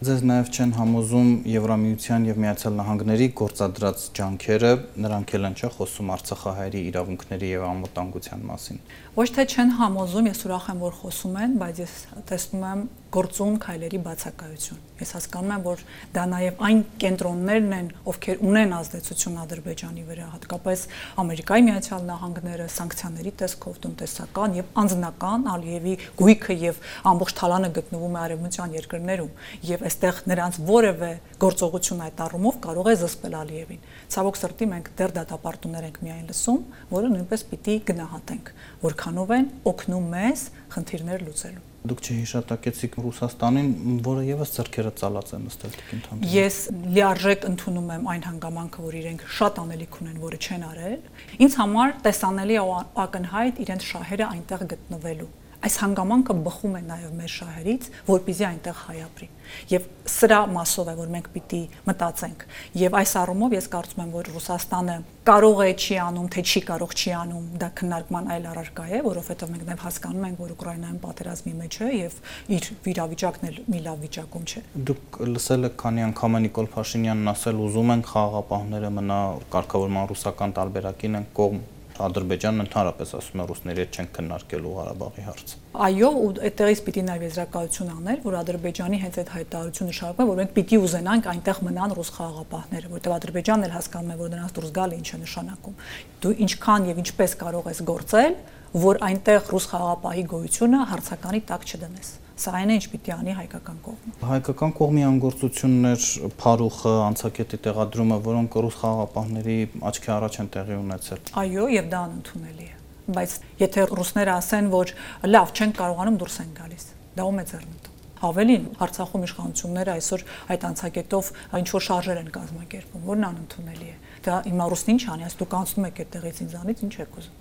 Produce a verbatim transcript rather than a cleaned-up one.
Ձեզ նաև չեն համոզում Եվրամիության եւ Միացյալ Նահանգների գործադրած ջանքերը, նրանք էլ են չէ խոսում արցախահայերի իրավունքների եւ անվտանգության մասին։ Ոչ թե չեն համոզում, ես ուրախ եմ, որ խոսում են, բայց ես տեսնում եմ գործուն քայլերի բացակայություն։ Ես հասկանում եմ, որ դա նաև այն կենտրոններն են, ովքեր ունեն ազդեցություն Ադրբեջանի վրա, հատկապես Ամերիկայի Միացյալ Նահանգները, սանկցիաների տեսքով, տնտեսական եւ անձնական Ալիևի գույքը եւ ամբողջ թալանը գտնվում է արևմտյան երկրներում, եւ այստեղ նրանց որևէ գործողություն այդ առումով կարող է զսպել Ալիևին։ Ցավոք սրտի մենք դեռ դատապարտումներ ենք միայն լսում, որը նույնպես պիտի գնահատենք, որքանով են օգնում մեզ խնդիրներ լուծելու։ Դուք չհիշատակեցիք Ռուսաստանին, որը եւս ձեռքերը ծալած է նստել տիկին։ Ես լիարժեք ընդունում եմ այն հանգամանքը, որ իրենք շատ անելիք ունեն, որը չեն արել։ Ինձ համար տեսանելի է ակնհայտ իրենց շահերը այնտեղ գտնվելու։ Այս հանգամանքը բխում է նաև մեր շահերից, որպեսզի այնտեղ հայ ապրի։ Եվ սրա մասով է, որ մենք պիտի մտածենք։ Եվ այս առումով ես կարծում եմ, որ Ռուսաստանը կարող է չի անում, թե չի կարող չի անում, դա քննարկման այլ առարկա է, որովհետև մենք նաև հասկանում ենք, որ Ուկրաինայում պատերազմի մեջ է եւ իր վիճակն էլ մի լավ վիճակում չէ։ Դուք լսել եք քանի անգամ Նիկոլ Փաշինյանն ասել, ուզում են խաղաղապահները մնա կարգավորման ռուսական տարբերակին են կողմ։ Ադրբեջանն ընդհանրապես ասում է ռուսների հետ չեն քննարկելու Ղարաբաղի հարցը։ Այո, ու այդտեղից պիտի նաև եզրակացություն անել, որ Ադրբեջանի հենց այդ հայտարարությունը շարունակում է, որ մենք պիտի ուզենանք այնտեղ մնան ռուս խաղաղապահները, որտեղ Ադրբեջանն էլ հասկանում է, որ նրանց դուրս գալը ինչ է նշանակում։ Դու ինչքան եւ ինչպես կարող ես գործել, որ այնտեղ ռուս խաղաղապահի գոյությունը հարցականի տակ չդնես։ Սա այն է, ինչ պիտի անի հայկական կողմը։ Հայկական կողմի անգործություններ, Փարուխը, անցակետի տեղադրումը, որոնք ռուս խաղաղապահների աչքի առաջ են տեղի ունեցել։ Այո, եւ դա անընդունելի է։ Բայց եթե ռուսները ասեն, որ լավ, չեն կարողանում դուրս են գալիս, դա ում է ձեռնտու։ Ավելին, Արցախում իշխանությունները այսօր այդ անցակետով ինչ որ շարժեր են կազմակերպում, որն անընդունելի է։ Դա հիմա ռուսն ինչ անի, այս դուք անցնում եք այդտեղից ինձանից, ինչ եք ուզում։